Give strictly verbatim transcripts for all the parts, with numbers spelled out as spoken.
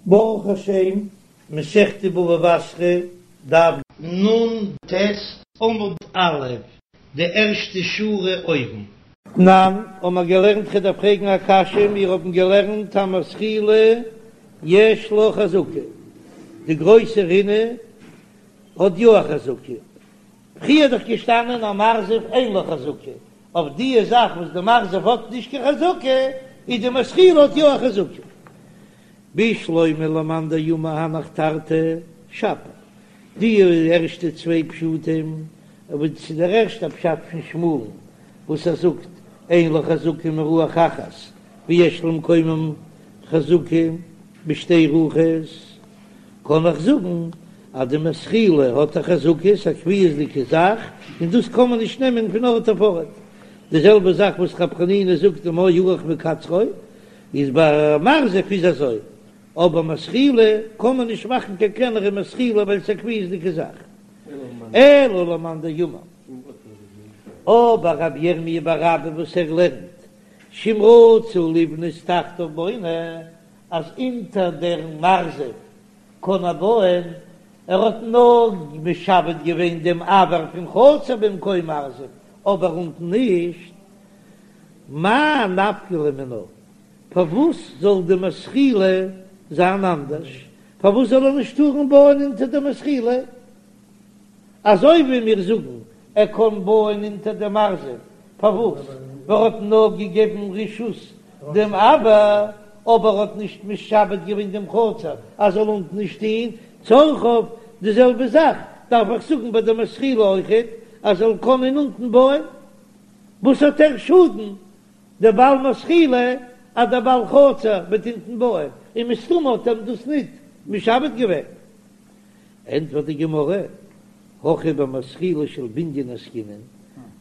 ברוך השם, מסכת בבא בתרא, דף נ"ט עמוד א', די ערשטע שורה אויבן. תנן, האבן מיר געלערנט כ'דארף פרעגן א קשיא, מיר האבן געלערנט המזחילה יש לה חזקה, די גרויסע רינה האט יא א חזקה, פריער איז דאך געשטאנען המרזב אין לו חזקה, אויף די זאך וואס די מרזב האט נישט קיין חזקה, איז די מזחילה האט יא א חזקה. בשלמא למאן דאמר הנך תרתי שפיר, די ערשטע צוויי פשטים, אבער צו דער ערשטער פשט פון שמואל'ן וואס ער זאגט אין לה חזקה מרוח אחת ויש למקומן חזקה בשתי רוחות, קען איך זאגן אז די מזחילה האט א חזקה, ס'איז א קביעות'דיגע זאך, און דאס קען מען נישט נעמען פון ארט אויף ארט. די זעלבע זאך וואס רב חנינא זאגט דמה ארך מקצרו, איז ביי מרזב איז אזוי, אבער מזחילה קען מען נישט מאכן קיין קלענערע מזחילה ווייל ס'איז א קביעות'דיגע זאך. אלא למאן דאמר, אבער רב ירמי' בר אבא וואס ער לערנט שאם רצה לבנות תחתיו בונה, אז אונטער דער מרזב קען ער בויען, ער האט נאר משעבד געווען דעם אויר פון חצר במקום מרזב, אבער אונטן נישט. מאי נפקא ליה מינה? פארוואס זאל די מזחילה זיין אנדערש? פארוואס זאל ער נישט טארן בויען אונטער די מזחילה? אזוי ווי מיר זאגן ער קען בויען אונטער די מרזב, פארוואס? ווייל ער האט נאר געגעבן רשות דעם אויר, אבער האט נישט משעבד געווען דעם חצר אז זאל אונטן נישט טוהן צרכיו, די זעלבע זאך דארף איך זאגן ביי די מזחילה אויכעט אז זאל קענען אונטן בויען. וואס האט ער שאדן דער בעל מזחילה אז דער בעל חצר וועט אונטן בויען, און מסתמא האט אים דאס ניט משעבד געווען. ענטפערט די גמרא, הכא במזחילה של בנין עסקינן,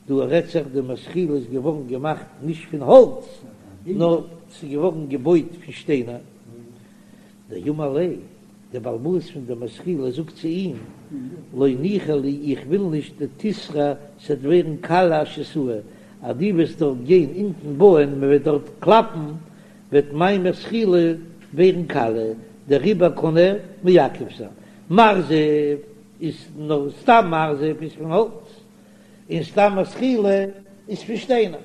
דא רעדט זיך די מזחילה איז געווארן געמאכט נישט פון האלץ, נאר ס'איז געווארן געבויט פון שטיינער, דאמר ליה, דער בעל הבית פון דער מזחילה זאגט צו אים, לא ניחא לי, איך וויל נישט דתיתרע ס'וועט ווערן קאליע אשיתאי, אז דו וועסט דארט גיין אונטן בויען, מען וועט דארט קלאפן, וועט מיין מזחילה ווערן קאליע, דעריבער קען ער מעכב זיין. מרזב איז נאר סתם מרזב איז פון האלץ, און סתם מזחילה איז פון שטיינער.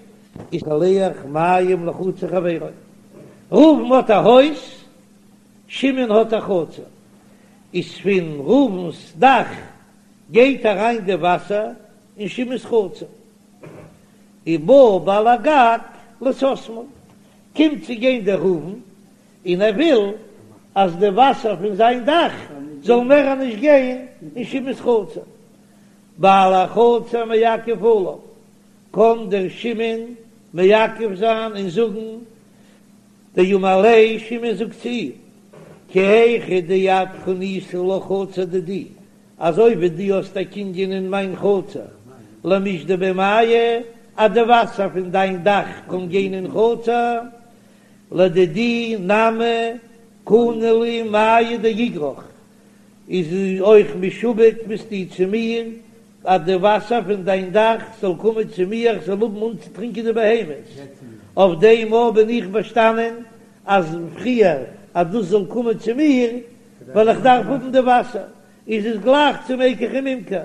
איז שולח מים לחצר חברו. ראובן האט א הויז, שמעון האט א חצר, איז פון ראובן'ס דאך גייט אריין די וואסער אין שמעון'ס חצר. ובא בעל הגג לסתמו, קומט צו גיין דער ראובן און ער וויל אז די וואסער פון זיין דאך זאל מער נישט גיין אין שמעון'ס חצר. בעל החצר מעכב עליו, קען דער שמעון מעכב זיין און זאגן, דאמר ליה, שמעון זאגט צו אים, כי היכי דאת קנית לה חצר דידי, אזוי ווי דו האסט א קנין אין מיין חצר, למישדי ביה מיא, אז די וואסער פון דיין דאך קען גיין אין חצר, לדידי נמי קני לי מיא דאיגרך, איז אויך משועבד ביסטו צו מיר, אז די וואסער פון דיין דאך זאל קומען צו מיר איך זאל האבן אנצוטרינקען די בהמות, אויף דעם מאל בין איך באשטאנען אז פריער אז דאס זאל קומען צו מיר, ווייל איך דארף האבן די וואסער, איז עס גלייך צו מקח וממכר,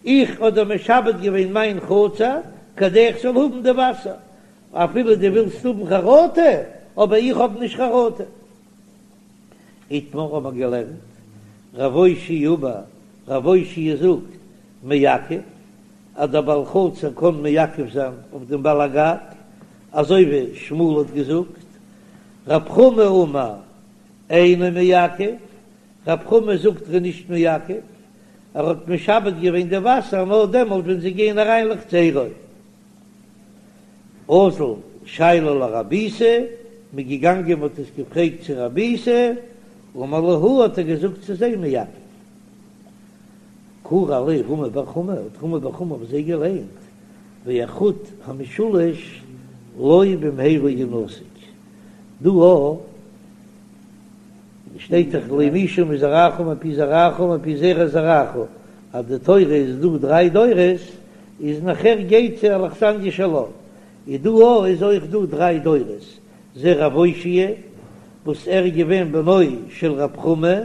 איך האב דיר משעבד געווען מיין חצר כדי איך זאל האבן די וואסער, אפילו דו ווילסט האבן חרטה, אבער איך האב נישט חרטה. איתמר האבן מיר געלערנט, רב אושעיא אמר, רב אושעיא זאגט, מעכב, אז דער בעל חצר קען מעכב זיין אויף דעם בעל הגג, אזוי ווי שמואל האט געזאגט, רב חמא אמר, אינו מעכב, רב חמא זאגט ער איז נישט מעכב, ער האט משעבד געווען די וואסער נאר דעמאלט ווען זיי גייען אריין לחצרו. אזול שיילוה לרב איסי, מ'איז געגאנגען מ'האט עס געפרעגט צו רב איסי, אמר להו האט ער געזאגט צו זיי מעכב. קרי עליה רמי בר חמא, האט רמי בר חמא אויף זיי געליינט, והחוט המשולש לא במהרה ינתק. דא שטייט דאך לא ימושו מזרעך ומפי זרעך ומפי זרע זרעך, אז די תורה איז דא דריי דורות, איז נאכער גייט צו אכסניא שלה, איז דא אויך איז אויך דא דריי דורות, זה רב אושעיא וואס ער איז געווען בנו של רב חמא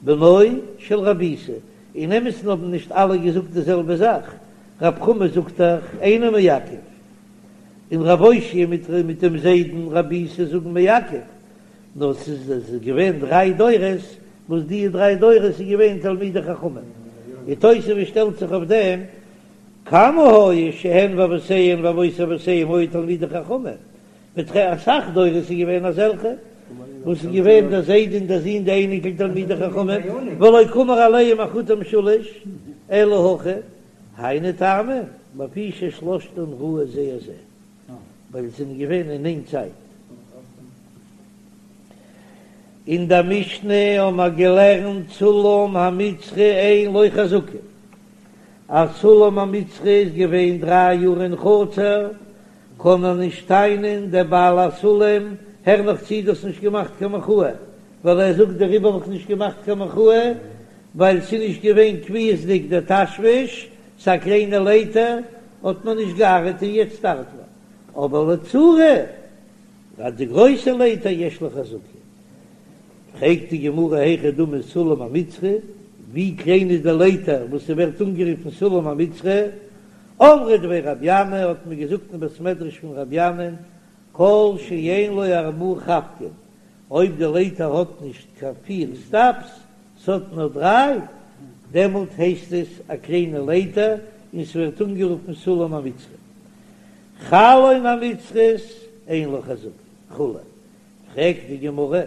בנו של רב איסי, אין אמת'ן האבן נישט אלע געזאגט די זעלבע זאך, רב חמא זאגט דאך אינו מעכב, און רב אושעיא מיט מיט דעם זיידן רב איסי זאגן מעכב, נאר ס'איז איז געווען דריי דורות וואס די דריי דורות איז געווען תלמידי חכמים, און תוספות שטעלט זיך אויף דעם, כמה היו שהן ואבותיהן ואבות אבותיהם היו תלמידי חכמים, מיט אסאך דורות איז געווען אזעלכע וואס איז געווען דער זיידע און דער זון די אייניקל תלמידי חכמים, ולא קאמר עליהם החוט המשולש אלא הכא, היינו טעמא, לפי ששלושתן ראו זה את זה, ווייל זיי זענען געווען אין איין צייט. אין דער משנה האבן מיר געלערנט סולם המצרי אין לו חזקה, אז סולם המצרי איז געווען דריי יאר אין חצר, קען ער נישט טענה'ן דער בעל הסולם, הער נאך צו דו האסט נישט געמאכט קיין מחאה, ווייל ער זאגט דעריבער האב איך נישט געמאכט קיין מחאה, ווייל ס'איז נישט געווען קביעות'דיג דער תשמיש, ס'איז א קליינע לייטער, האט מען נישט געארט און יעצט ארט מען, אבער לצרה, ביי די גרויסע לייטער יש לו חזקה. פרעגט די גמרא היכי דמי סולם המצרי, ווי קליין איז די לייטער וואס ס'ווערט אנגערופן סולם המצרי? אמרי דבי רבי ינאי האט מען געזאגט אין בית מדרש פון רבי ינאי'ן, כל שאין לו ארבעה חבקין, אויב די לייטער האט נישט קיין פיר סטעפס, ס'האט נאר דריי, דעמאלט הייסט עס א קליינע לייטער און ס'ווערט אנגערופן סולם המצרי. חלון המצרית אין לו חזקה וכו'. פרעגט די גמרא,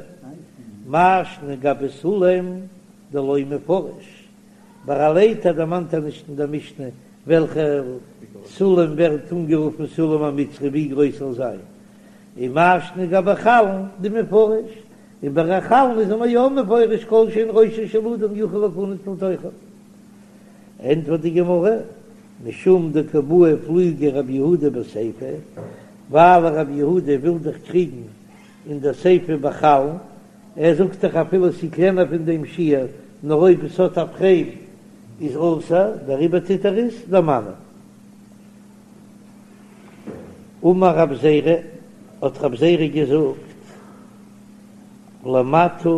מאי שנא גבי סולם דלא מפרש, ביי א לייטער דערמאנט ער נישט אין דער משנה וועלכע סולם ווערט אנגערופן סולם המצרי ווי גרויס זאל זיין, און מאי שנא גבי חלון דמפרש, און ביי א חלון איז מען יא מפרש כל שאין ראשו של אדם יכול להכנס לתוכו. ענטפערט די גמרא, משום דקא בעי פלוגי רבי יהודה בסיפא, ווייל רבי יהודה וויל דאך קריגן אין דער סיפא בחלון, ער זאגט דאך אפילו ס'איז קלענער פון דעם שיעור, נאר אויב עס האט א פרעים איז אסור, דעריבער טוט ער עס דערמאנען. אמר רב זירא, האט רב זירא געזאגט, למטה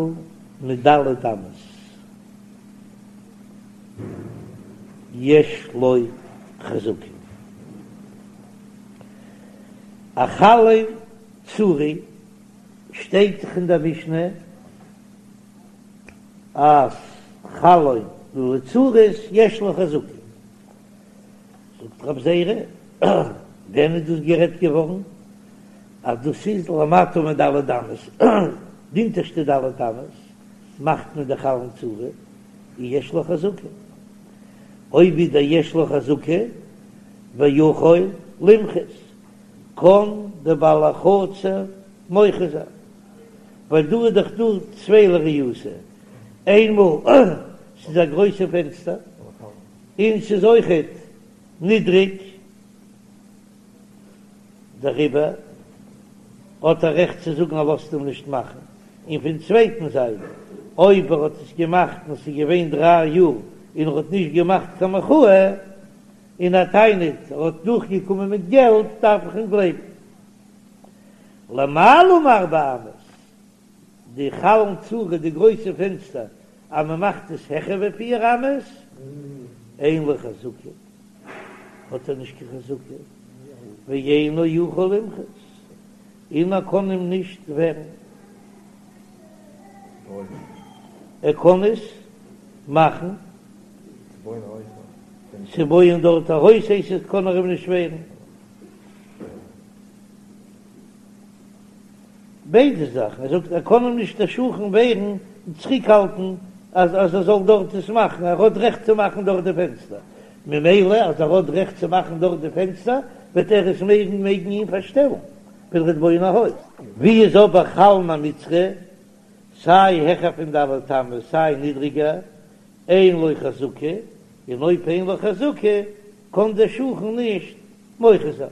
מד' אמות יש לו חזקה. א חלון צורי שטייט דאך אין דער משנה אז חלון לצורות יש לו חזקה. זאגט רב זירא, ווען איז דאס גערעדט געווארן אז דאס איז למטה מד' אמות, די אונטערשטע ד' אמות מאכט מען די חלון צורי און יש לו חזקה, אויב איז דער יש לו חזקה ויכול למחות, קען דער בעל החצר מוחה זיין, ווייל דא איז דאך דא צוויי לריעותא, איינמאל ס'איז א גרויסע פענסטער און ס'איז אויכעט נידריג, דעריבער האט ער רעכט צו זאגן ער לאזט אים נישט מאכן, און פון צווייטן זייט אויב ער האט עס געמאכט און ס'איז געווען דריי יאר און ער האט נישט געמאכט קיין מחאה און ער טענה'ט ער האט נאכגעקומען מיט געלט דארף איך אים גלייבן. למעלה מארבע אמות, די חלון צורי די גרויסע פענסטער אז מען מאכט עס העכער ווי פיר אמות, אין לו חזקה, האט ער נישט קיין חזקה, ואינו יכול למחות, און ער קען אים נישט ווערן, ער קען עס מאכן צו בויען דארט א הויז הייסט עס קען ער אים נישט ווערן. ביידע זאכן, ער זאגט ער קען אים נישט דער שכן ווערן און צוריקהאלטן אז אז ער זאל דארט עס מאכן, ער האט רעכט צו מאכן דארט די פענסטער, ממילא אז ער האט רעכט צו מאכן דארט די פענסטער וועט ער עס מעגן מעגן אים פארשטעלן ווען ער וועט בויען א הויז. ווי איז אבער חלון המצרי, סיי העכער פון ד' אמות סיי נידריגער, אין לו חזקה, און אויב אין לו חזקה קען דער שכן נישט מוחה זיין.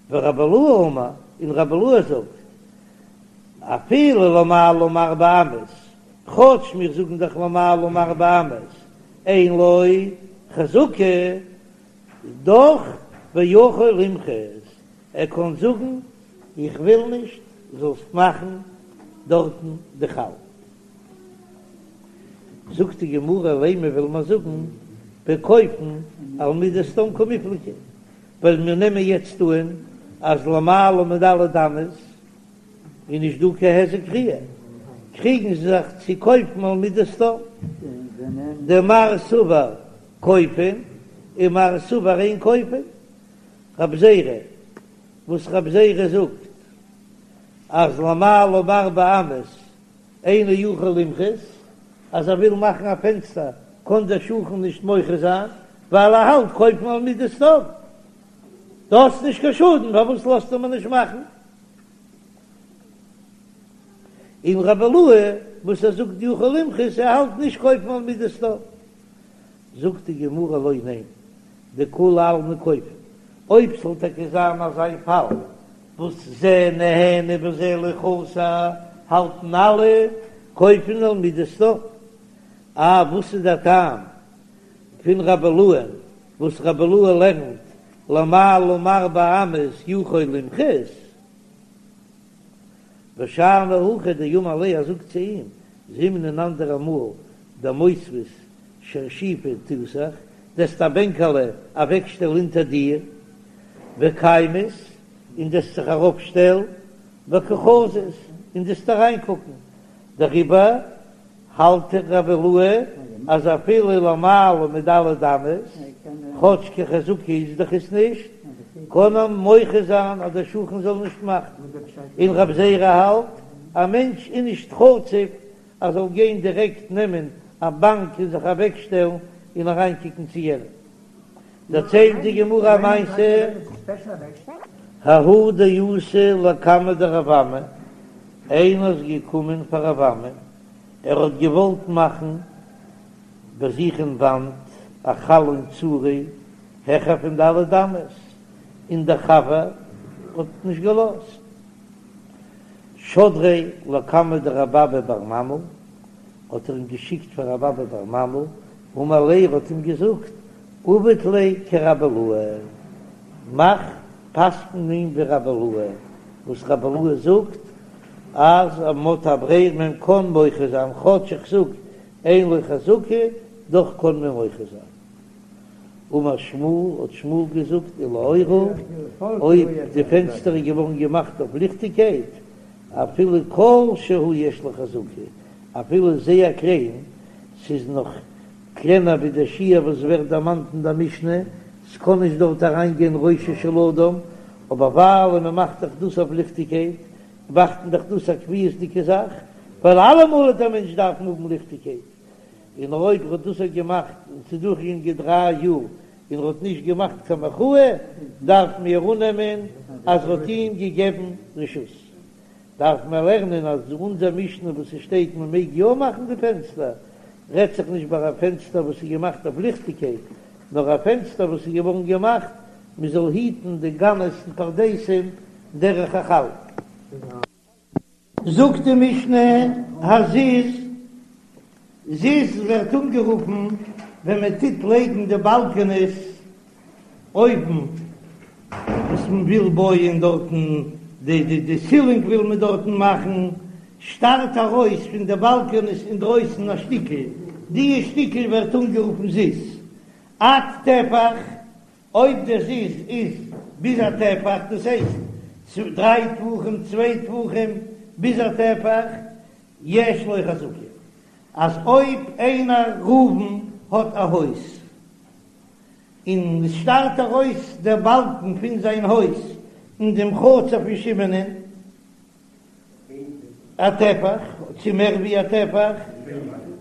ורבי אילעא אמר, און רבי אילעא זאגט, אפילו למעלה מארבע אמות, כאטש מיר זאגן דאך למעלה מארבע אמות, אין לו חזקה, דאך ויכול למחות, ער קען זאגן איך וויל נישט זאלסט מאכן דארטן די חלון. זאגט די גמרא לימא וויל מען זאגן בכופין על מידת סדום קמיפלגי, ווייל מיר נעמען יעצט אן אז למעלה מד' אמות איז נישט דא קיין היזק ראיה, קריגן זיי זיך צו כופין על מידת סדום, דמר סבר כופין און מר סבר אין כופין, רב זירא וואס רב זירא זאגט אז למעלה מארבע אמות אינו יכול למחות, אז ער וויל מאכן א פענסטער קען דער שכן נישט מוחה זיין ווייל ער האלט כופין על מידת סדום, דו האסט נישט קיין שאדן פארוואס לאזטו מיר נישט מאכן? און רבי אילעא וואס ער זאגט יכול למחות ער האלט נישט כופין על מידת סדום, זאגט די גמרא לא ניין דכולי עלמא כופין, אויב ס'זאל טאקע זיין אזא פאל וואס זה נהנה וזה לא חסר האלטן אלע כופין על מידת סדום, אה וואס איז דער טעם פון רבי אילעא'ן וואס רבי אילעא לערנט למעלה מארבע אמות יכול למחות? ושאני הכא דאמר ליה ער זאגט צו אים זימנין אן אנדערע מאל דמותבית שרשיפא תותך דו'סט א בענקעלע אוועקשטעלן אונטער דיר וקיימית און דו'סט זיך ארויפשטעלן וקא חזית און דו'סט אריינקוקן דעריבער האלט רבי אילעא אז אפילו למעלה מד' אמות, כאטש קיין חזקה איז דאך עס נישט, קען ער מוחה זיין אז דער שכן זאל נישט מאכן. און רב זירא האלט, א מענטש איז נישט חצוף ער זאל גיין דירעקט נעמען א באנק און זיך אוועקשטעלן און אריינקוקן צו יענעם. דערציילט די גמרא א מעשה, ההוא דאתא לקמיה דרב אמי, איינער איז געקומען פאר רב אמי, ער האט געוואלט מאכן ביי זיך אין וואנט א חלון צורי העכער פון ד' אמות, און דער חבר האט נישט געלאזט. שדריה לקמיה דרב אבא בר ממל, האט ער אים געשיקט פאר רב אבא בר ממל, אמר ליה, ער האט אים געזאגט, עביד ליה כרבי אילעא, מאך פסק'ן אים ווי רבי אילעא, וואס רבי אילעא זאגט אז מ'האט א ברירה מען קען מוחה זיין, כאטש איך זאג אין לו חזקה, דאך קען מען מוחה זיין. אמר שמואל, האט שמואל געזאגט, ולאורה, אויב די פענסטער איז געווארן געמאכט אויף ליכטיגקייט, אפילו כל שהוא יש לו חזקה, אפילו זייער קליין, ס'איז נאך קלענער ווי די שיעור וואס ווערט דערמאנט אין דער משנה, ס'קען נישט דארט אריינגיין ראשו של אדם, אבער ווייל מ'מאכט דאך דאס אויף ליכטיגקייט, מאכט מען דאך דאס א קביעות'דיגע זאך, ווייל אלעמאל וועט דער מענטש דארפן האבן ליכטיגקייט, און אויב ר'האט דאס אויך געמאכט און ס'איז דורכגעגאנגען דריי יאר און ר'האט נישט געמאכט קיין מחאה, דארף מיר אננעמען אז ר'האט אים געגעבן רשות. דארף מען לערנען אז אונזער משנה וואס עס שטייט מען מעג יא מאכן די פענסטער, רעדט זיך נישט ביי א פענסטער וואס איז געמאכט אויף ליכטיגקייט, נאר א פענסטער וואס איז געווארן געמאכט מען זאל היטן די גנות און פרדסים דרך החלון. זאגט די משנה, הזיז, זיז ווערט אנגערופן ווען מען טוט לייגן די באלקענעס אויבן וואס מען וויל בויען דארטן, די די די סילינג וויל מען דארטן מאכן, שטארט ארויס פון די באלקענעס אינדרויסן א שטיקל, די שטיקל ווערט אנגערופן זיז. עד טפח, אויב די זיז איז ביז א טפח, דאס הייסט דריי טפחים, צוויי טפחים, ביז א טפח, יש לו חזקה, אז אויב איינער ראובן האט א הויז, און עס שטארט ארויס דער באלקן פון זיין הויז אין דעם חצר פון שמעונ'ען א טפח, צו מער ווי א טפח,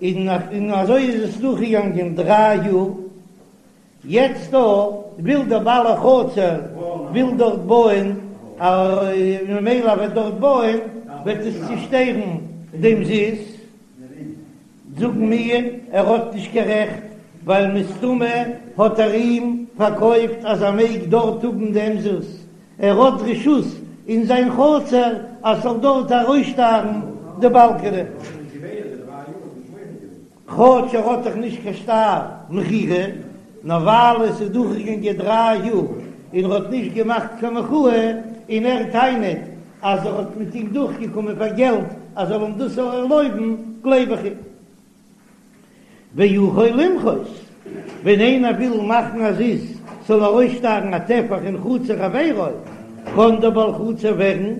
און אזוי איז עס דורכגעגאנגען דריי יאר, יעצט דא וויל דער בעל החצר וויל דארט בויען, ממילא וועט דארט בויען וועט עס צושטערן דעם זיז. זאגן מיר ער האט נישט קיין רעכט ווייל מסתמא האט ער אים פארקויפט אז ער מעג דארט האבן דעם זיז, ער האט רשות אין זיין חצר אז ס'זאל דארט ארויסשטארן די באלקענע, כאטש ער האט דאך נישט קיין שטר מכירה, נאר ווייל עס איז דורכגעגאנגען דריי יאר און ער האט נישט געמאכט קיין מחאה און ער טענה'ט אז ער האט מיט אים דורכגעקומען פאר געלט אז ער זאל אים דאס ערלויבן, גלייב איך אים. ויכול למחות, ווען איינער וויל מאכן א זיז זאל ארויסשטארן א טפח אין חצר חברו, קען דער בעל חצר ווערן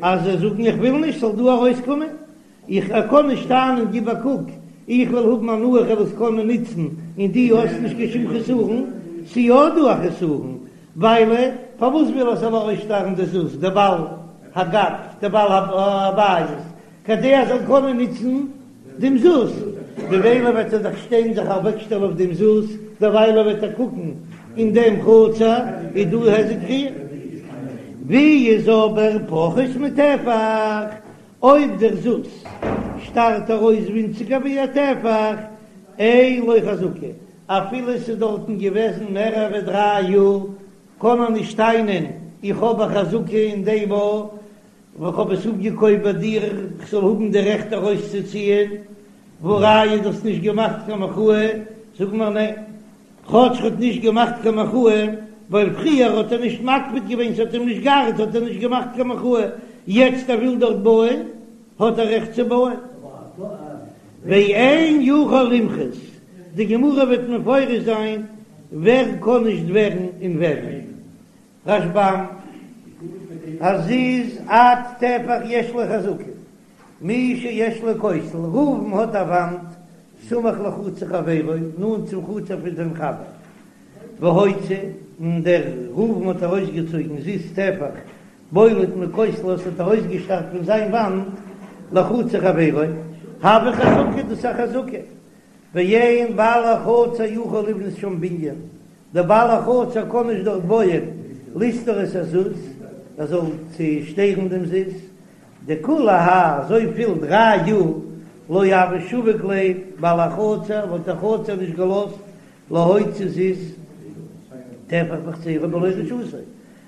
אז ער זאגן איך וויל נישט ס'זאל דא ארויסקומען, איך ער קען נישט טענה'ן גיב א קוק איך וויל האבן הנאה איך וועל עס קענען נוצן און דו האסט נישט קיין שום חסרון, ס'יא דא א חסרון, ווייל פארוואס וויל ער ס'זאל ארויסשטארן די זוז דער בעל הגג דער בעל הבית כדי ער זאל קענען נוצן דעם זוז, ממילא וועט ער זיך שטיין זיך אוועקשטעלן אויף דעם זוז, דערוויילע וועט ער קוקן אין דעם חצר איז דא היזק ראיה. ווי איז אבער פחות מטפח, אויב דער זוז שטארט ארויס ווינציגער ווי א טפח, אין לו חזקה, אפילו עס איז דארטן געוועזן מערער ווי דריי יאר, קען ער נישט טענה'ן איך האב א חזקה אין דעם א וואס כ'האב עס אפגעקויפט ביי דיר כ'זאל האבן די רעכט ארויסצוציען, והא ראיה דו האסט נישט געמאכט קיין מחאה, זאג מיר ניין, כאטש ר'האט נישט געמאכט קיין מחאה, ווייל פריער האט ער נישט מקפיד געווען ס'האט אים נישט געארט האט ער נישט געמאכט קיין מחאה, יעצט ער וויל דארט בויען האט ער רעכט צו בויען. ואין יכול למחות, די גמרא וועט מפרש זיין ווער קען נישט ווערן און וועמען. רשב"ם, הזיז עד טפח יש לו חזקה, מי שיש לו כותל, ראובן האט א וואנט סמוך לחצר חברו, נאנט צום חצר פון זיין חבר, והוציא, און דער ראובן האט ארויסגעצויגן זיז טפח בולט מכותלו, עס האט ארויסגעשטארט פון זיין וואנט לחצר חברו, הוה חזקה, דאס איז א חזקה, ואין בעל החצר יכול לבנות שם בנין, דער בעל החצר קען נישט דארט בויען לסתור את הזוז, ער זאל צושטערן דעם זיז, דכולי האי אזויפיל דריי יאר לא הוה שביק ליה בעל החצר וואלט דער חצר נישט געלאזט להוציא זיז טפח מחצרו בלא רשותו,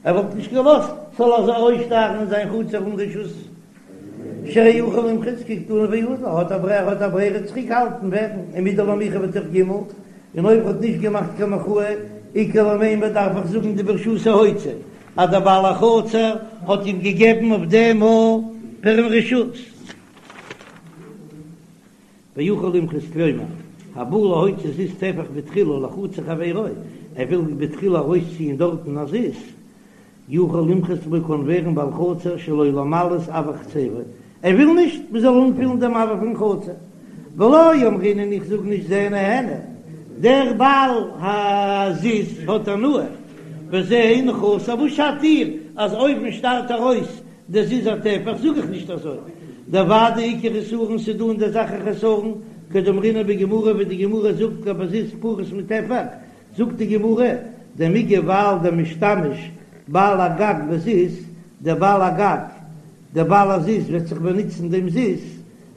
ער וואלט נישט געלאזט ס'זאל אזוי ארויסשטארן אין זיין חצר אן רשות. שהרי יכול למחות כדקתני ואזיל, האט א ברירה האט א ברירה צוריק האלטן ווערן ומדלא מיחה בתוך ג' און אויב האט נישט געמאכט קיין מחאה איכא למימר דארף איך זאגן דברשותו הוציא אז דער בעל החצר האט אים געגעבן אויף דעם פערם רשות. ויכול למחות כלומר, הבא להוציא זיז טפח בתחילה לחצר חברו, ער וויל בתחילה ארויסציען דארטן א זיז, יכול למחות לו קאן ווערן בעל חצר שלא למלאות אויר חצרו, ער וויל נישט מען זאל אנפילן דעם אויר פון חצר, ולא אמרינן איך זאג נישט זה נהנה, דער בעל הזיז האט הנאה, וזה אינו חסר, וואס שאדט דיר אז אויבן שטארט ארויס דער זיז א טפח, זאג איך נישט אזוי, דודאי איכא חסרון ס'דא אין דער זאך א חסרון, כדאמרינן בגמרא ווי די גמרא זאגט גבי זיז פחות מטפח, זאגט די גמרא, דמיגו ווייל דמשתמש בעל הגג בזיז, דער בעל הגג, דער בעל הזיז וועט זיך באנוצן דעם זיז,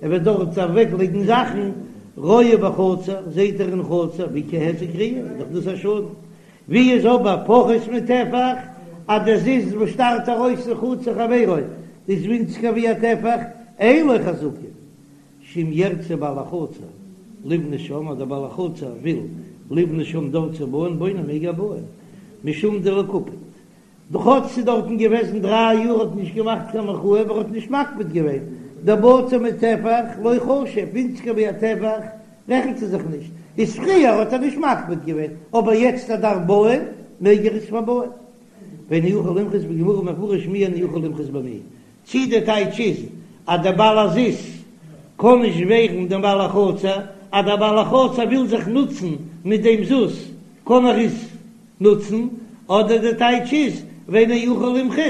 ער וועט דארט אוועק לייגן זאכן, רואה בחצר, זעט ער אין חצר, ואיכא היזק ראיה, איז דאך דאס א שאדן. ווי איז אבער פחות מטפח, אז דער זיז וואס שטארט ארויס אין חצר חברו איז ווינציגער ווי א טפח, אין לו חזקה, שאם ירצה בעל החצר לבנות שם, אז דער בעל החצר וויל לבנות שם דארט צו בויען, בונה מעג ער בויען, משום דלא קפיד. כאטש ס'איז דארטן געוועזן דריי יאר האט נישט געמאכט קיין מחאה אבער האט נישט מקפיד געווען, דבצר מטפח לא חשיב, ווינציגער ווי א טפח רעכנט ער זיך נישט, איז פריער האט ער נישט מקפיד געווען אבער יעצט ער דארף בויען מעג ער עס פארבויען. ואינו יכול למחות בגמרא מפרש מי אינו יכול למחות במי, צי די טייטש איז אז דער בעל הזיז קען נישט ווערן דעם בעל החצר, אז דער בעל החצר וויל זיך נוצן מיט דעם זוז קען ער עס נוצן, אדער די טייטש איז ואינו יכול למחות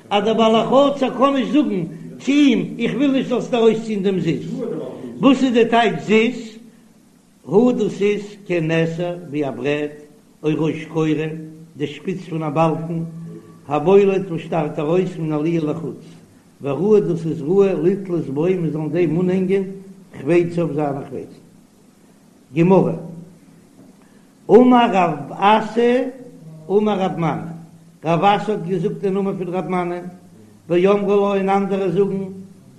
אז דער בעל החצר קען נישט זאגן צו אים איך וויל נישט זאלסט ארויסציען דעם זיז. וואס איז די טייטש זיז? הוא דאס איז כעין נסר ווי א ברעט או ראש קורה, די שפיץ פון א באלקן, הבולט וואס שטארט ארויס מן העליה לחוץ, וראוי דאס איז ראוי לתלות בו מען זאל אין דעם אנהענגען חפציו זיינע חפצים. גמרא, אמר רב אסי אמר רב מני, רב אסי האט געזאגט אין נאמען פון רב מני, ואמרי לה און אנדערע זאגן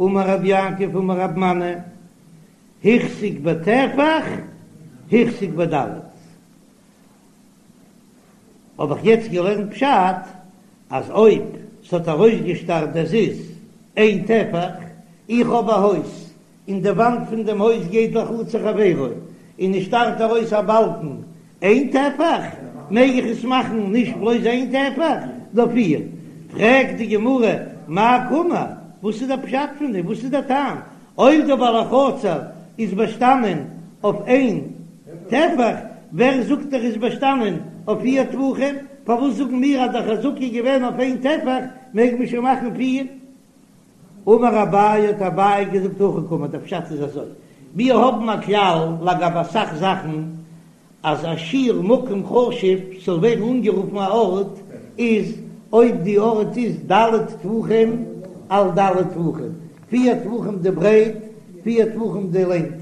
אמר רב יעקב אמר רב מני, החזיק בטפח החזיק בד'. האב איך יעצט געלערנט פשט אז אויב ס'האט ארויסגעשטארט דער זיז איין טפח, איך האב א הויז, און די וואנט פון דעם הויז גייט לחצר חבירו, און עס שטארט ארויס א באלקן איין טפח, מעג איך עס מאכן נישט בלויז איין טפח, נאר פיר. פרעגט די גמרא, מאי קאמר, וואס איז דער פשט פון דעם, וואס איז דער טעם, אויב דער בעל החצר איז באשטאנען אויף איין טפח, ווער זאגט ער איז באשטאנען אויף פיר טפחים, פארוואס זאגן מיר אז דער חזקה איז געווען אויף איין טפח, מעג מען שוין מאכן פיר? אמר אביי האט אביי געזאגט הכי קאמר, דער פשט איז אזוי, מיר האבן א כלל לגבי אסאך זאכן אז א שיעור מקום חשוב ס'זאל ווערן אנגערופן א ארט איז אויב די ארט איז ד' טפחים על ד' טפחים, פיר טפחים די ברייט פיר טפחים די לענג,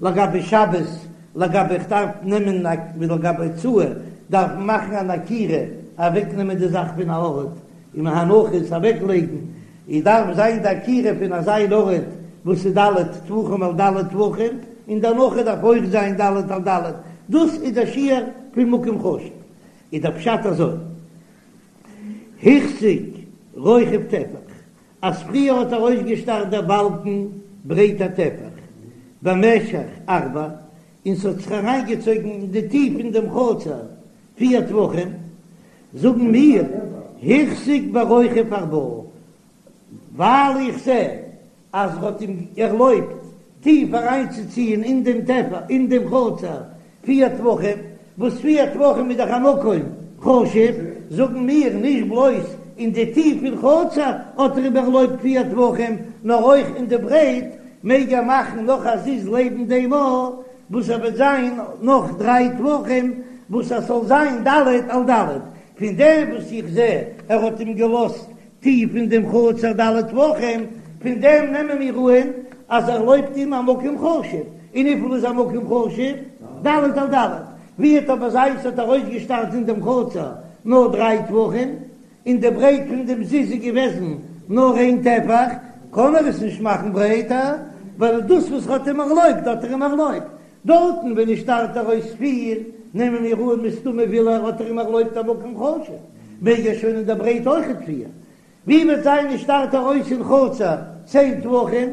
לגבי שבת לגבי איך דארף נעמען לגבי הוצאה דארף מען מאכן אן עקירה אוועקנעמען די זאך פון א ארט און הנחות אוועקלייגן איז דארף זיין די עקירה פון אזא אן ארט וואס איז ד' טפחים על ד' טפחים, און די הנחה דארף אויך זיין ד' על ד', דאס איז דער שיעור פון מקום חשוב, איז דער פשט אזוי, החזיק רוחב טפח, אז פריער האט ארויסגעשטארט דער באלקן ברייט א טפח במשך ארבע, און ס'האט זיך אריינגעצויגן אין די טיף אין דעם חצר פיר טפחים, זאגן מיר, החזיק ברוחב ארבעה, ווייל איך זע אז ער האט אים ערלויבט טיף אריינצוציען אין דעם טפח, אין דעם חצר פיר טפחים, וואס פיר טפחים איז דאך א מקום חשוב, זאגן מיר, נישט בלויז אין די טיף פון חצר האט ער אים ערלויבט פיר טפחים, נאר אויך אין די ברייט מעג ער מאכן נאך א זיז לעבן דעם ארט, וואס ער וועט זיין נאך דריי טפחים, וואס עס זאל זיין ד' על ד', פון דעם וואס איך זע ער האט אים געלאזט טיף אין דעם חצר ד' טפחים, פון דעם נעמען מיר אהן אז ער ערלויבט אים א מקום חשוב, און וויפיל איז א מקום חשוב? ד' על ד', ווי וועט אבער זיין ס'האט ארויסגעשטארט אין דעם חצר נאר דריי טפחים, און די ברייט פון דעם זיז איז געוועזן נאר איין טפח, קען ער עס נישט מאכן ברייטער, ווייל דאס וואס ער האט אים ערלויבט האט ער אים ערלויבט. דארטן ווען עס שטארט ארויס פיר, נעמען מיר אן מסתמא וויל ער האט ער אים ערלויבט א מקום חשוב, מעג ער שוין אין דער ברייט אויכעט פיר. ווי וועט זיין עס שטארט ארויס אין חצר צען טפחים,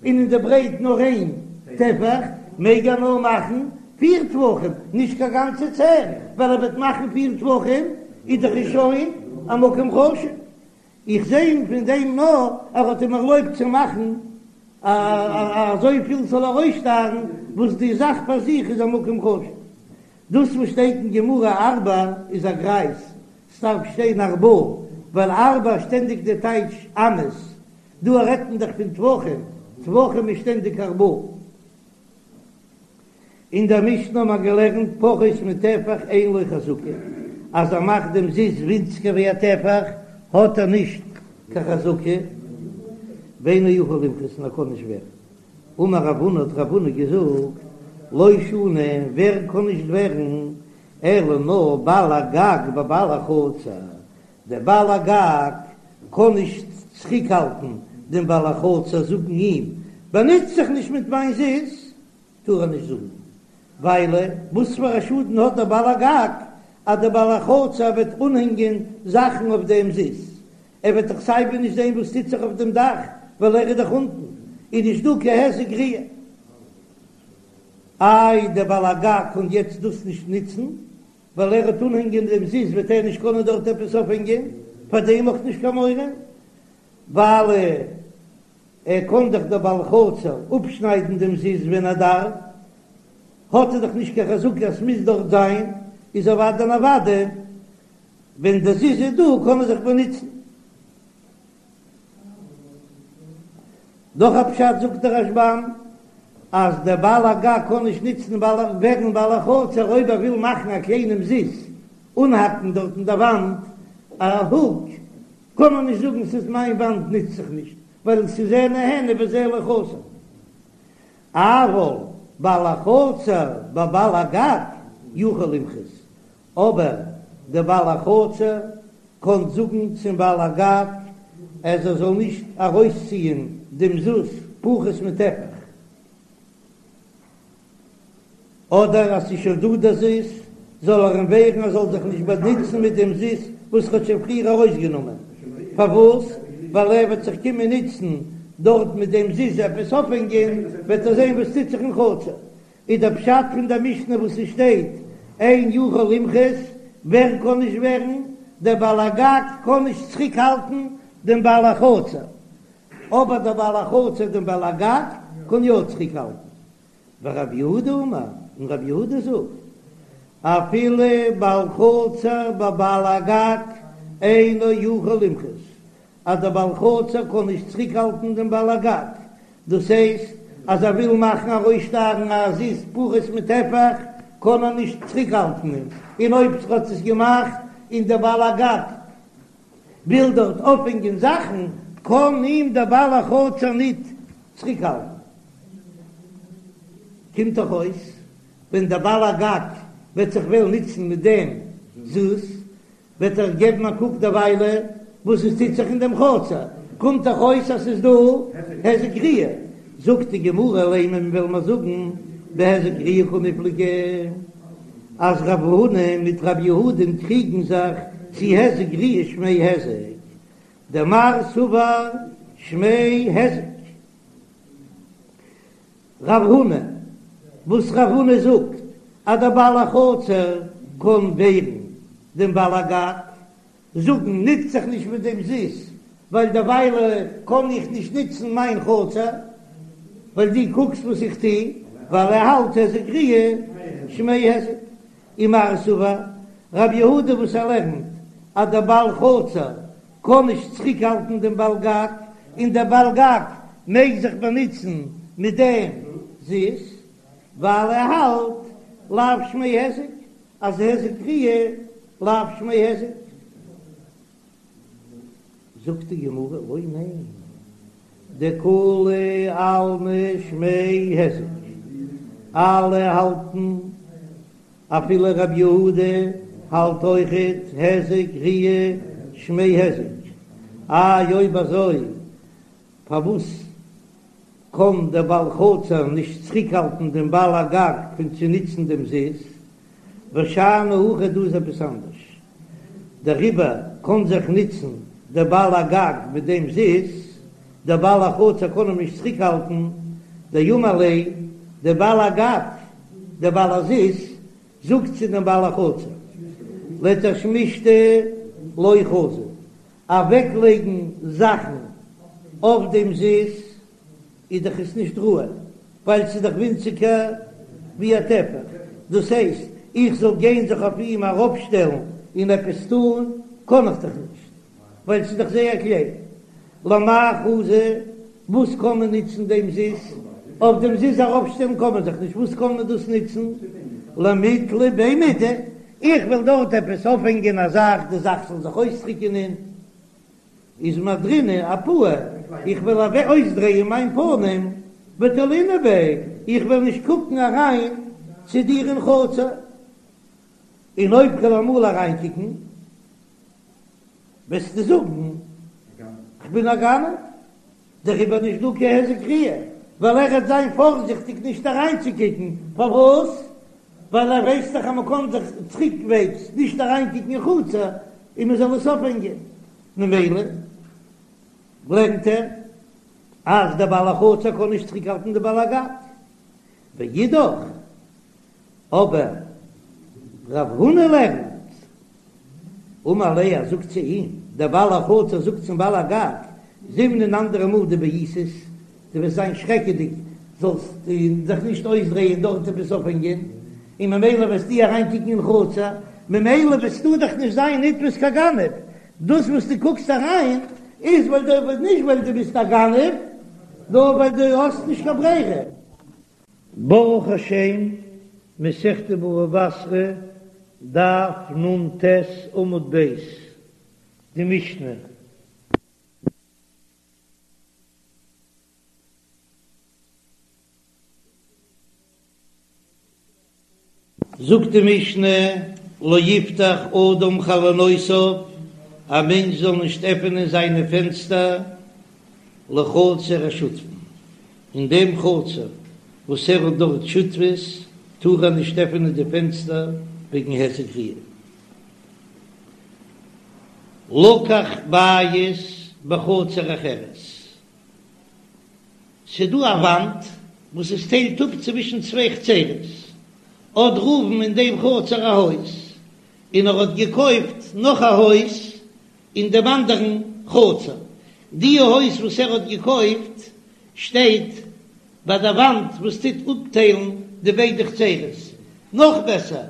און אין די ברייט נאר איין טפח, מעג ער נאר מאכן פיר טפחים, נישט קיין גאנצע צען, ווייל ער וועט מאכן פיר טפחים איז דאך עס שוין א מקום חשוב. איך זע פון דעם נאר ער האט אים ערלויבט צו מאכן אזויפיל ס'זאל ארויסשטארן, וואס די זאך פאר זיך איז א מקום חשוב. דאס וואס שטייט אין גמרא ארבע איז א גרייז, ס'דארף שטיין ארבעה, ווייל ארבע שטענדיג די טייטש אמות, דא רעדט מען דאך פון טפחים, טפחים איז שטענדיג ארבעה. אין דער משנה האט מען געלערנט פחות מטפח אין לו חזקה, אז ער מאכט דעם זיז ווינציגער ווי א טפח האט ער נישט קיין חזקה, ואינו יכול למחות און ער קען נישט ווערן. אמר רב הונא האט רב הונא געזאגט, לא שנו, ווער קען נישט ווערן, אלא נאר בעל הגג בבעל החצר, דער בעל הגג קען נישט צוריקהאלטן דעם בעל החצר זאגן אים, באנוץ זיך נישט מיט מיין זיז, טאר ער נישט זאגן, ווייל וואס פאר א שאדן האט דער בעל הגג אז דער בעל החצר וועט אנהענגען זאכן אויף דעם זיז, ער וועט דאך סייווי נישט זען וואס טוט זיך אויף דעם דאך, ווייל ער איז דאך אונטן, איז נישט דא קיין היזק ראיה. איי דער בעל הגג קען יעצט דאס נישט נוצן, ווייל ער וועט אנהענגען דעם זיז וועט ער נישט קענען דארט עפעס אויפהענגען, פאר דעם אויך נישט קיין מורא, ווייל ער קען דאך דער בעל חצר אפשניידן דעם זיז ווען ער דארף, האט ער דאך נישט קיין חזקה אז ס'מוז דארט זיין, איז אוודאי און אוודאי ווען דער זיז איז דא קען ער זיך באנוצן. נאך א פשט זאגט דער רשב"ם אז דער בעל הגג קען נישט נוצן ווערן בעל החצר אויב ער וויל מאכן א קליינעם זיז אנהאקן דארט אין דער וואנט א הוק קען מען נישט זאגן ס'איז מיין וואנט נוץ זיך נישט ווייל ס'איז זה נהנה וזה לא חסר אבל בעל החצר בבעל הגג יכול למחות אבער דער בעל החצר קען זאגן צום בעל הגג אז ער זאל נישט ארויסציען דעם זיז פחות מטפח, אדער אז ס'איז שוין דא דער זיז זאל ער אים ווערן ער זאל זיך נישט באנוצן מיט דעם זיז וואס ער האט שוין פריער ארויסגענומען, פארוואס? ווייל ער וועט זיך קומען נוצן דארט מיט דעם זיז עפעס אויפהענגען, וועט ער זען וואס טוט זיך אין חצר. איז דער פשט פון דער משנה וואס עס שטייט אין יכול למחות, ווער קען נישט ווערן, דער בעל הגג קען נישט צוריק האלטן דעם בעל החצר, אבער דער בעל החצר דעם בעל הגג קען יא צוריק האלטן. ורב יהודה אמר, און רב יהודה זאגט, אפילו בעל חצר בבעל הגג אינו יכול למחות, אז דער בעל חצר קען נישט צוריקהאלטן דעם בעל הגג, דאס הייסט אז ער וויל מאכן ארויסשטארן א זיז פחות מטפח קען ער נישט צוריקהאלטן אים, און אויב ער האט עס געמאכט און דער בעל הגג וויל דארט אויפהענגען זאכן קען אים דער בעל החצר ניט צוריקהאלטן. קומט דאך אויס ווען דער בעל הגג וועט זיך וועלן נוצן מיט דעם זיז וועט ער געבן א קוק דערוויילע וואס עס טוט זיך אין דעם חצר, קומט דאך אויס אז ס'איז דא היזק ראיה, זאגט די גמרא לימא וועלן מיר זאגן בהיזק ראיה קמיפלגי אז רב הונא מיט רב יהודה'ן קריגן זיך צו היזק ראיה שמיה היזק, דמר סבר שמיה היזק. רב הונא, וואס רב הונא זאגט אז דער בעל החצר קען ווערן דעם בעל הגג, זאגן נוץ זיך נישט מיט דעם זיז, ווייל דערוויילע קען איך נישט נוצן מיין חצר, ווייל דו קוקסט וואס איך טו, ווייל ער האלט היזק ראיה שמיה היזק. ומר סבר, רב יהודה וואס ער לערנט אז דער בעל חצר קען נישט צוריקהאלטן דעם בעל גג, און דער בעל גג מעג זיך באנוצן מיט דעם זיז, ווייל ער האלט לאו שמיה היזק, אז היזק ראיה לאו שמיה היזק. זאגט די גמרא, לא ניין, דכולי עלמא שמיה היזק, אלע האלטן אפילו רב יהודה האלט אויכעט היזק ראיה שמיה היזק, איי אויב אזוי פארוואס קען דער בעל חצר נישט צוריקהאלטן דעם בעל הגג פון צו נוצן דעם זיז? ושאני הכא דא איז עפעס אנדערש, דעריבער קען זיך נוצן דער בעל הגג מיט דעם זיז, דער בעל החצר קען אים נישט צוריקהאלטן, דאמר ליה, דער בעל הגג, דער בעל הזיז, זאגט צו דעם בעל החצר, לתשמישתא לא חזי, אוועקלייגן זאכן אויף דעם זיז איז דאך עס נישט ראוי, ווייל ס'איז דאך ווינציגער ווי א טפח, דאס הייסט, איך זאל גיין זיך אויף אים ארויפשטעלן און עפעס טון, קען איך דאך נישט, ווייל ס'איז דאך זייער קליין. למאי חזי, וואס קען מען נוצן דעם זיז? אויף דעם זיז ארויפשטעלן קען מען זיך נישט, וואס קען מען דאס נוצן? למיתלי ביה מידי, איך וויל דארט עפעס אויפהענגען א זאך, די זאך זאל זיך אויסטריקענען, איז מהדרינהו אפאי, איך וועל אוועק אויסדרייען מיין פנים, ותלינא ביה, איך וועל נישט קוקן אריין צו דיר אין חצר, און אויב כ'וועל אמאל אריינקוקן, וועסטו זאגן כ'בין א גנב, דעריבער נישט דא קיין היזק ראיה, ווייל ער וועט זיין פארזיכטיג נישט אריינצוקוקן, פארוואס? ווייל ער ווייסט דאך אז מ'קען זיך צוריקוועגס נישט אריינקוקן אין חצר און מ'זאל עס אויפהענגען, ממילא לערנט ער אז דער בעל החצר קען נישט צוריקהאלטן די בעל הגג, ואידך אבער רב הונא לערנט, אמר ליה, ער זאגט צו אים, דער בעל החצר זאגט צום בעל הגג, זימנין אנדערע מאל דבעיתת, דו וועסט זיין שרעקעדיג, זאלסט זיך נישט אויסדרייען דארט עפעס אויפהענגען, און ממילא וועסטו אריינקוקן אין חצר, ממילא וועסטו דאך נישט זיין נתפס קיין גנב, דאס וואס דו קוקסט אריין איז ווייל דו, נישט ווייל דו ביסט א גנב, נאר ווייל דו האסט נישט קיין ברירה. ברוך השם, מסכת בבא בתרא, דף נ"ט עמוד ב', די משנה. זאגט די משנה, לא יפתח אדם חלונותיו, א מענטש זאל נישט עפענען זיינע פענסטער לחצר השותפין, אין דעם חצר וואס ער האט דארט שותפות, טאר ער נישט עפענען די פענסטער וועגן היזק ראיה. לקח בית בחצר אחרת, ס'דא א וואנט וואס עס טיילט אפ צווישן צוויי חצרות, האט ראובן אין דעם חצר א הויז, און ער האט געקויפט נאך א הויז אין דעם אנדערן חצר, די הויז וואס ער האט געקויפט שטייט ביי דער וואנט וואס טוט אפטיילן די ביידע חצרות, נאך בעסער,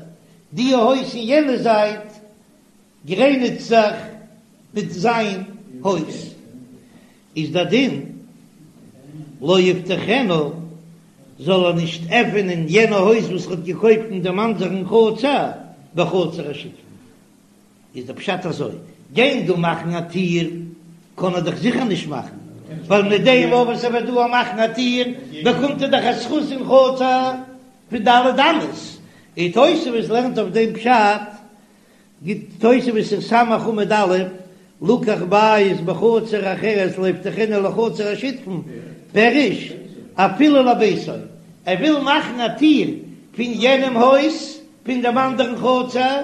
די הויז אין יענע זייט גרעניצט זיך מיט זיין הויז, איז דער דין לא יפתחנה, זאל ער נישט עפענען יענע הויז וואס ער האט געקויפט אין דעם אנדערן חצר בחצר השותפין. איז דער פשט אזוי, גיין דא מאכן א טיר קען ער דאך זיכער נישט מאכן, ווייל מיט דעם וואס ער וועט דא מאכן א טיר באקומט ער דאך א זכות אין חצר פון ד' אמות, און תוספות לערנט אויף דעם פשט גיט תוספות אין סמך עמוד א', לקח בית בחצר אחרת לא יפתחנה לחצר השותפין, פירוש, אפילו לביתו, ער וויל מאכן א טיר פון יענעם הויז פון דעם אנדערן חצר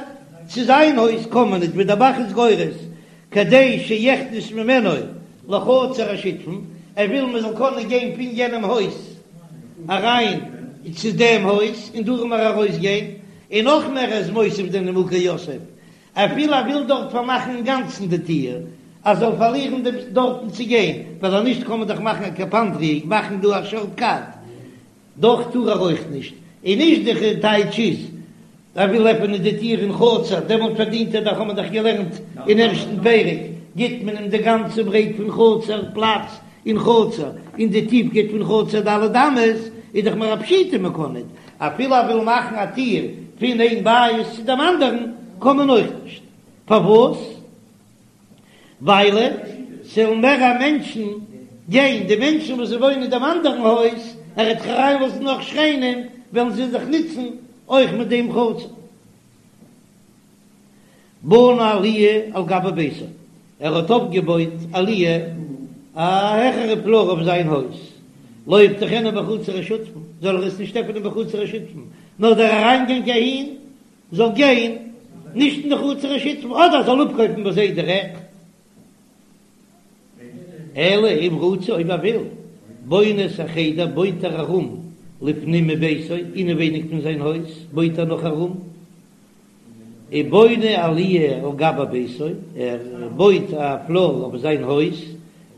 צו זיין הויז קען מען ניט, ווי דער ב"ח איז גורס, כדי שיכנס ממנו לחצר השותפין, ער וויל מען זאל קענען גיין פון יענעם הויז אריין צו דעם הויז און דורך מער ארויסגיין, און נאך מער ער איז מוסיף די נימוקי יוסף, אפילו ער וויל דארט פארמאכן אינגאנצן די טיר, ער זאל פארלירן דעם דארטן צו גיין, ווייל אז נישט קען מען דאך מאכן א קפנדריא, מאכן דא א שארט קאט, דאך טאר ער אויך נישט, און נישט די טייטש איז ער וויל עפענען די טיר אין חצר, דעמאלט פארדינט ער דאך, האט מען דאך געלערנט אין ערשטן פרק, גיט מען אים די גאנצע ברייט פון חצר, פלאץ אין חצר, און די טיפקייט פון חצר ד' אמות, איז דאך מער א פשיטא מען קען ניט, אפילו ער וויל מאכן א טיר פון איין בית צו דעם אנדערן, קען מען אויך נישט, פארוואס? ווייל ס'וועלן מערער מענטשן גיין, די מענטשן וואס וואוינען אין דעם אנדערן הויז, ער וועט דאך אריינלאזן נאך שכנים, וועלן זיי זיך נוצן אויך מיט דעם חצר. בנה עליה על גבי ביתו, ער האט אויפגעבויט עליה א העכערע פלאר אויף זיין הויז, לא יפתחנה בחצר השותפין, זאל ער עס נישט עפענען בחצר השותפין, נאר דער אריינגאנג אהין זאל גיין נישט אין די חצר השותפין, אדער זאל אפקויפן ביי זיי דירעקט. אלא אם רצה אויב ער וויל, בונה את החדר בויט ער ארום לפנים מביתו, אינעווייניג פון זיין הויז בויט ער נאך ארום, ובונה עליה על גבי ביתו, ער בויט א פלאר אויף זיין הויז,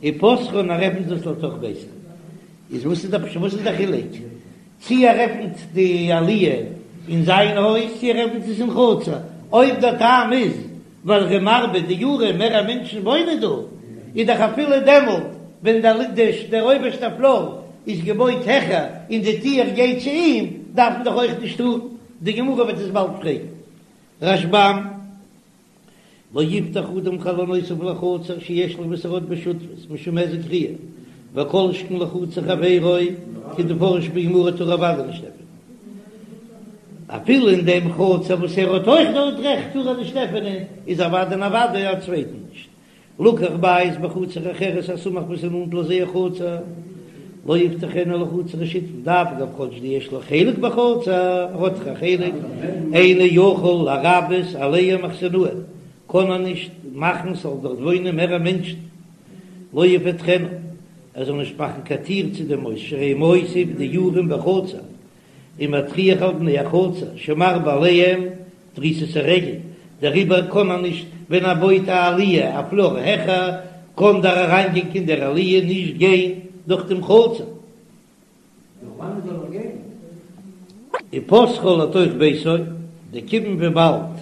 ופותחה און ער עפנט עס לתוך ביתו. איז וואס איז די וואס איז די חילוק צי ער עפנט די עליה אין זיין הויז צי ער עפנט עס אין חצר? אויב דער טעם איז ווייל ער איז מרבה דיורין מערער מענטשן וואוינען דא, איז דאך אפילו דעמאלט ווען דער אויבערשטער פלאר איז געבויט העכער און די טיר גייט צו אים, דארף מען דאך אויך נישט טארן. די גמרא וועט עס באלד פרעגן. רשב"ם, לא יפתח אדם חלונותיו לחצר שיש לו וואס ער האט בשותפות משום היזק ראיה, וכל שכן לחצר חברו כדמפרש בגמרא טאר ער אוודאי נישט עפענען. אפילו אין דעם חצר וואס ער האט אויך דארט רעכט טאר ער נישט עפענען, איז אוודאי און אוודאי א צווייטן נישט. לקח בית בחצר אחרת הסמוך וואס איז נאנט לזה החצר, לא יפתחנה לחצר השותפין, דאף על גב כאטש דיש לו חלק בחצר, ער האט דאך א חלק, אינו יכול לרבות עליהם מחסנאין, קען ער נישט מאכן ס'זאל דארט וואוינען מערער מענטשן, לא יפתחנה, ער זאל נישט מאכן קיין טיר צו דעם הויז, שהרי מוסיף דיורין בחצר, ומטריח על בני החצר שמרבה עליהם דריסת הרגל, דעריבער קען מען נישט ווען ער בויט א עליה א פלאר העכער, קען דער אריינגאנג אין דער עליה נישט גיין דורך דעם חצר. ופותחה לתוך ביתו, דכיון וויבאלד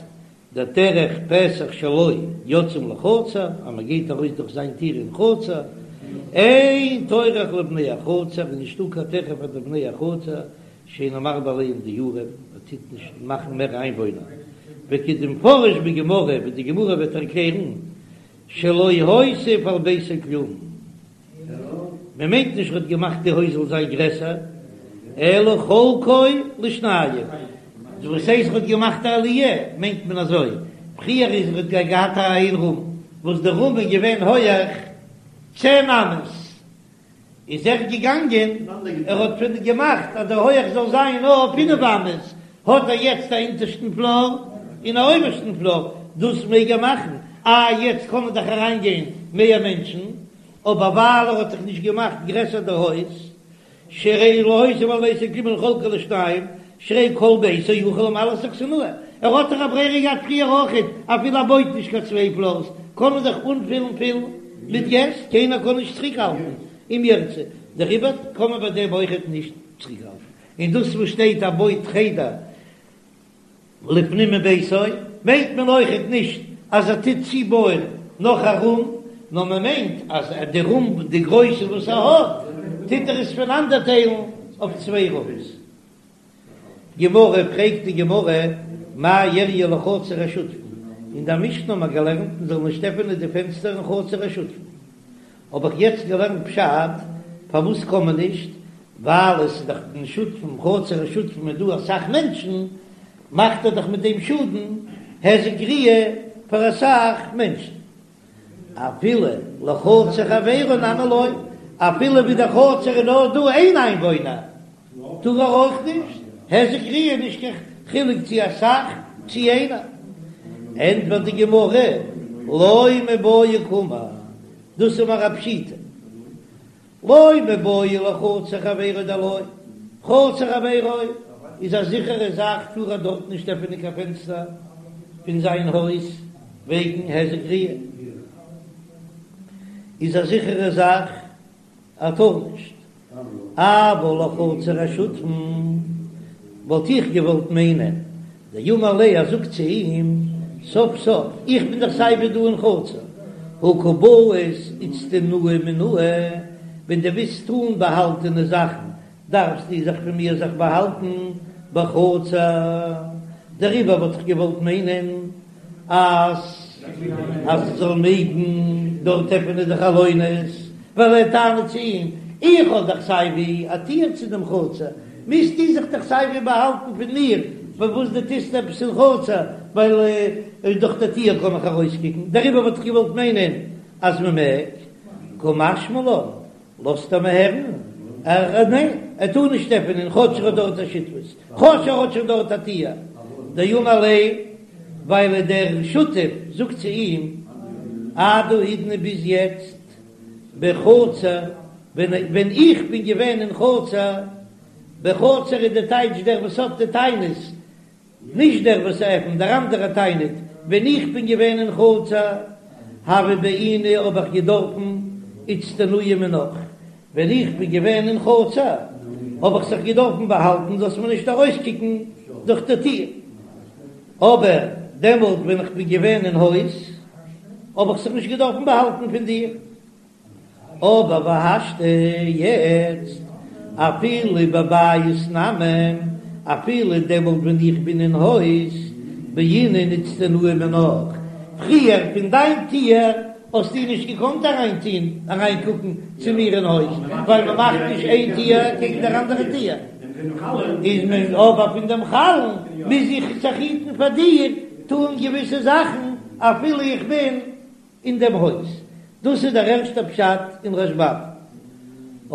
דדרך פתח שלו יוצאים לחצר, אז מען גייט ארויס דורך זיין טיר אין חצר, אין טורח לבני החצר, איז נישטא קיין טרחה פאר די בני החצר, שאינו מרבה עליהם דיורין, ער טוט נישט מאכן מער איינוואוינער, וכדמפרש בגמרא, ווי די גמרא וועט ערקלערן, שלא הוסיף על ביתו כלום. מען מיינט נישט ער האט געמאכט די הויז זאל זיין גרעסער, אלא חלקו לשניים, וואס הייסט ער האט געמאכט א עליה, מיינט מען אזוי, פריער איז ער האט געהאט א איין רום, וואס די רום איז געווען הויעך צען אמות, איז ער געגאנגען ער האט פון געמאכט אז די הויעך זאל זיין נאר פינף אמות, האט ער יעצט א אונטערשטן פלאר און א אויבערשטן פלאר, דאס מעג ער מאכן, אה יעצט קענען דאך אריין גיין מער מענטשן, אבער ווייל ער האט דאך נישט געמאכט גרעסער די הויז, שהרי לא הוסיף על ביתו כלום אלא חלקו לשניים, שהרי כל ביתו יכול למלא את האכסנאי, ער האט דאך א ברירה געהאט פריער אויכעט, אפילו ער בויט נישט קיין צוויי פלארס, קען מען דאך אנפילן פול מיט געסט, קיינער קען נישט צוריקהאלטן אם ירצה, דעריבער קען מען ביי דעם אויכעט נישט צוריקהאלטן, און דאס וואס שטייט ער בויט חדר לפנים מביתו, מיינט מען אויכעט נישט אז ער טוט צובויען נאך א רום, נאר מען מיינט אז די רום די גרויסע וואס ער האט, טוט ער עס פונאנדערטיילן אויף צוויי רומס. גמרא, פרעגט די גמרא, מאי איריא לחצר השותפין, אין דער משנה האט מען געלערנט מען זאל נישט עפענען די פענסטער אין חצר השותפין, האב איך יעצט געלערנט פשט, פארוואס קען מען נישט, ווייל עס איז דאך אין שותפים, חצר השותפים איז דא אסאך מענטשן, מאכט ער דאך מיט דעם שאדן, היזק ראיה, פאר אסאך מענטשן. אפילו לחצר חברו נמי לא, אפילו ווי די חצר איז נאר דא איין איינוואוינער, טאר ער אויך נישט, היזק ראיה נישט קיין חילוק צו אסאך צו איינער. ענטפערט די גמרא, לא מיבעיא קאמר, דאס איז מיר א פשיטא, לא מיבעיא לחצר חברו דלא, חצר חברו איז א זיכערע זאך טאר ער דארט נישט עפענען קיין פענסטער פון זיין הויז וועגן היזק ראיה, איז א זיכערע זאך ער טאר נישט, אבל לחצר השותפין וואלט איך געוואלט מיינען דאמר ליה ער זאגט צו אים, סוף סוף איך בין דאך סייווי דא אין חצר, הא קא בעית איצטנויי מינאי, ווען דו ווילסט טון באהאלטענע זאכן דארפסטו זיך פון מיר זיך באהאלטן בחצר, דעריבער וואלט איך געוואלט מיינען אז אז זאל מעגן דארט עפענען די חלונות, ווייל ער טענה'ט צו אים, איך האב דאך סייווי א טיר צו דעם חצר, מוזטו זיך דאך סייווי באהאלטן פון מיר, פארוואס דו טוסט עפעס אין חצר, ווייל דורך די טיר קען איך ארויסקוקן, דעריבער וואלט איך געוואלט מיינען אז מען מעג, קא משמע לן, לאזט ער מיר הערן, ער ניין, ער טאר נישט עפענען כאטש ער האט דארט א שותפות, כאטש ער האט שוין דארט א טיר, דאמר ליה, ווייל דער שותף זאגט צו אים, עד האידנא ביז יעצט בחצר, ווען איך בין געווען אין חצר, בחצר איז די טייטש דער וואס האט די טענות, נישט דער וואס עפנט, דער אנדערער טענה'ט, ווען איך בין געווען אין חצר, הוה בעינא האב איך געדארפן איצטנויי מינך, ווען איך בין געווען אין חצר האב איך זיך געדארפן באהאלטן זאלסט מיר נישט ארויסקוקן דורך די טיר, אבער דעמאלט ווען איך בין געווען אין הויז האב איך זיך נישט געדארפן באהאלטן פון דיר. אבער והשתא יעצט, אפילו בבית נמי, אפילו דעמאלט ווען איך בין אין הויז, בעינא איצטנויי מינך, פריער פון דיין טיר האסטו נישט געקאנט אריינטוהן אריינקוקן צו מיר אין הויז, ווייל מען מאכט נישט איין טיר קעגן דער אנדערע טיר, איז מען אבער פון דעם חלון מוז איך זיך היטן פאר דיר, טוהן געוויסע זאכן אפילו איך בין אין דעם הויז. דאס איז דער ערשטער פשט אין רשב"ם.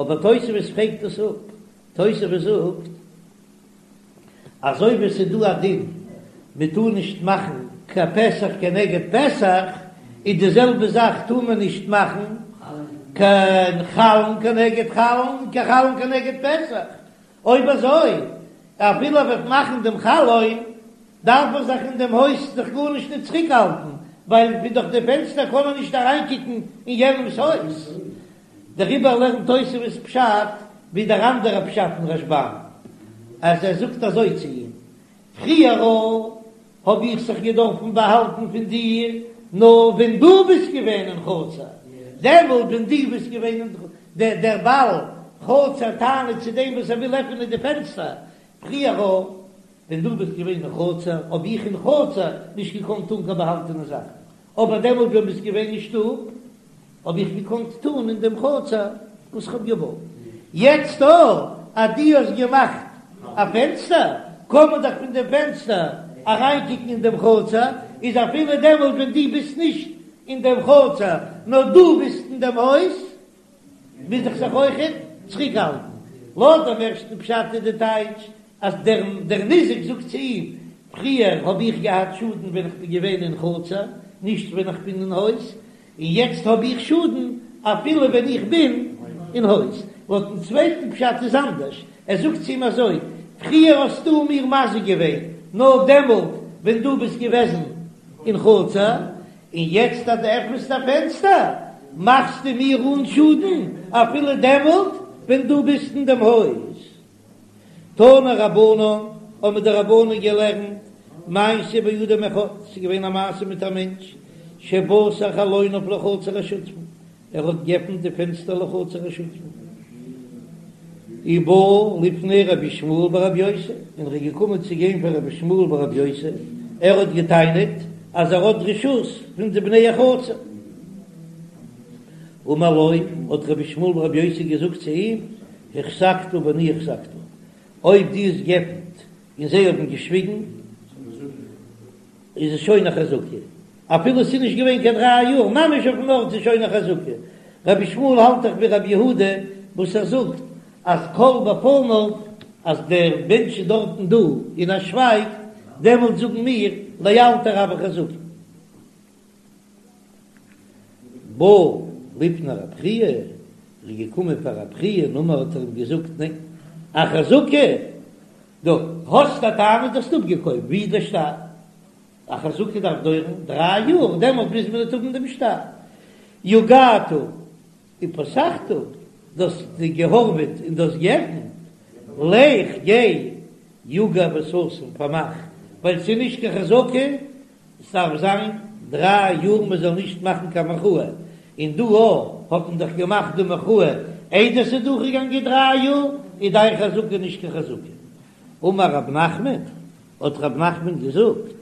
אבער תוספות פרעגט דאס אפ. תוספות זאגט, אזוי ווי עס איז דא א דין מען טאר נישט מאכן קיין פתח כנגד פתח, איז די זעלבע זאך טאר מען נישט מאכן קיין חלון כנגד חלון, קיין חלון כנגד פתח. אויב אזוי, אפילו ער וועט מאכן דעם חלון, דארף ער זיך אין דעם הויז זיך גארנישט נישט צוריקהאלטן, ווייל פון דורך די פענסטער קען ער נישט אריינקוקן אין יענעמ'ס הויז. דעריבער לערנט תוספות פשט ווי דער אנדערער פשט אין רשב"ם, אז ער זאגט אזוי צו אים, פריער האב איך זיך געדארפן באהאלטן פון דיר, נאר ווען דו ביסט געווען אין חצר, דעמאלט ווען דו ביסט געווען אין דער דער בעל חצר טענה'ט צו דעם וואס ער וויל עפענען די פענסטער, פריער ווען דו ביסט געווען אין חצר, האב איך אין חצר נישט געקאנט טון קיין באהאלטענע זאכן, אבער דעמאלט ווען ביסט געווען אין שטוב, האב איך געקאנט טון אין דעם חצר וואס כ'האב געוואלט. יעצט דא אז דו האסט געמאכט א פענסטער, קען מען דאך פון דעם פענסטער אריינקוקן אין דעם חצר, איז אפילו דעמאלט ווען דו ביסט נישט אין דעם חצר, נאר דו ביסט אין דעם הויז, מוז איך זיך אויכעט צוריקהאלטן. לויט דעם ערשטן פשט איז די טייטש אז דער דער ניזק זאגט צו אים, פריער האב איך געהאט שאדן ווען איך בין געווען אין חצר, נישט ווען איך בין אין הויז, און יעצט האב איך שאדן אפילו ווען איך בין אין הויז. לויטן צווייטן פשט איז אנדערש, ער זאגט צו אים אזוי, פריער האסטו מיר מזיק געווען נאר דעמאלט ווען דו ביסט געוועזן אין חצר, און יעצט אז דו עפנסט א פענסטער מאכסטו מיר אן שאדן אפילו דעמאלט ווען דו ביסט אין דעם הויז. תנו רבנן, האבן די רבנן געלערנט, מעשה באדם אחד, ס'איז געווען א מעשה מיט א מענטש, שפתח חלוניו לחצר השותפין, ער האט געעפנט די פענסטער לחצר השותפין, ובא לפני רבי ישמעאל ברבי יוסי, און ער איז געקומען צו גיין פאר רבי ישמעאל ברבי יוסי, ער האט געטענה'ט אז ער האט רשות פון די בני החצר. אמר לו, האט רבי ישמעאל ברבי יוסי געזאגט צו אים, החזקת ואני החזקת, אויב דו האסט געעפנט און זיי האבן געשוויגן, איז עס שוין א חזקה, אפילו עס איז נישט געווען קיין דריי יאר, ממש אויפן ארט איז שוין א חזקה. רבי ישמעאל האלט דאך ווי רבי יהודה וואס ער זאגט אז כל בפניו, אז דער מענטש איז דארטן דא און ער שווייגט, דעמאלט זאגן מיר לאלתר הויא חזקה. בא לפני רב חייא, איז געקומען פאר רב חייא און אמר האט ער אים געזאגט ניין, א חזקה, דו האסט א טענה דו האסט אפגעקויפט, ווי איז דער שטר? א חזקה דארף דויערן דריי יאר, דעמאלט מוז מען ניט האבן דעם שטר. יגעת ופתחת, דו האסט געהארוועט און דו האסט געעפנט, לך גיי יגע וסתום פארמאך, ווייל ס'איז נישט קיין חזקה, ס'דארף זיין דריי יאר מען זאל נישט מאכן קיין מחאה, און דא האט מען דאך געמאכט די מחאה איידער ס'איז דורכגעגאנגען דריי יאר, איז דיין חזקה נישט קיין חזקה. אמר רב נחמן, האט רב נחמן געזאגט,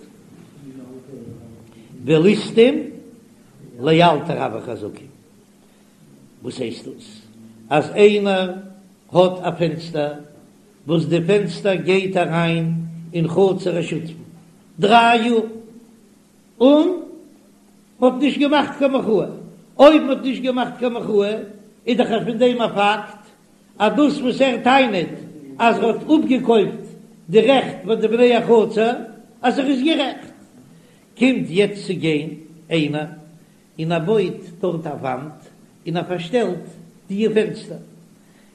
וליסטים לאלתר הויא חזקה. וואס הייסט דאס אז איינער האט א פענסטער וואס די פענסטער גייט אריין אין חצר השותפין דריי יאר און מ'האט נישט געמאכט קיין מחאה, אויב מ'האט נישט געמאכט קיין מחאה איז דאך פון דעם א פאקט אז דאס וואס ער טענה'ט אז ער האט אפגעקויפט די רעכט פון די בני החצר אז ער איז גערעכט, קומט יעצט צו גיין איינער און ער בויט דארט א וואנט און ער פארשטעלט די פענסטער,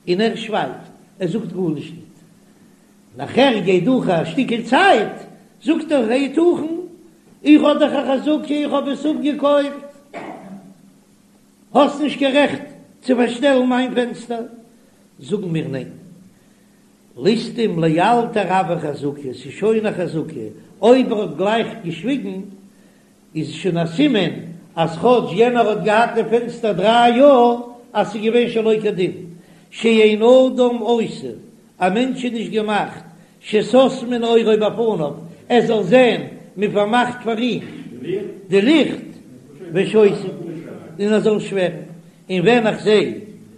און ער שווייגט, ער זאגט גארנישט ניט. נאכער גייט דורך א שטיקל צייט, זאגט ער, היתכן, איך האב דאך א חזקה, איך האב עס אפגעקויפט, האסט נישט קיין רעכט צו פארשטעלן מיין פענסטער. זאגן מיר ניין, ליסטים לאלתר הויא חזקה, ס'איז שוין א חזקה, אויב ער האט גלייך געשוויגן, איז שוין א סימן אז כאטש יענער האט געהאט די פענסטער דריי יאר אז ס'איז געווען שלא כדין, שאין אדם עשוי, א מענטש איז נישט געמאכט שסותמין אורו בפניו, ער זאל זען מען פארמאכט פאר אים די ליכט, ושותק, און ער זאל שווערן, און ווען איך זע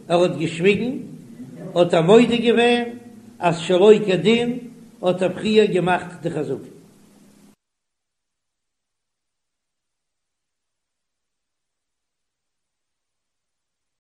ער האט געשוויגן האט ער מודה געווען אז שלא כדין האט ער פריער געמאכט די חזקה.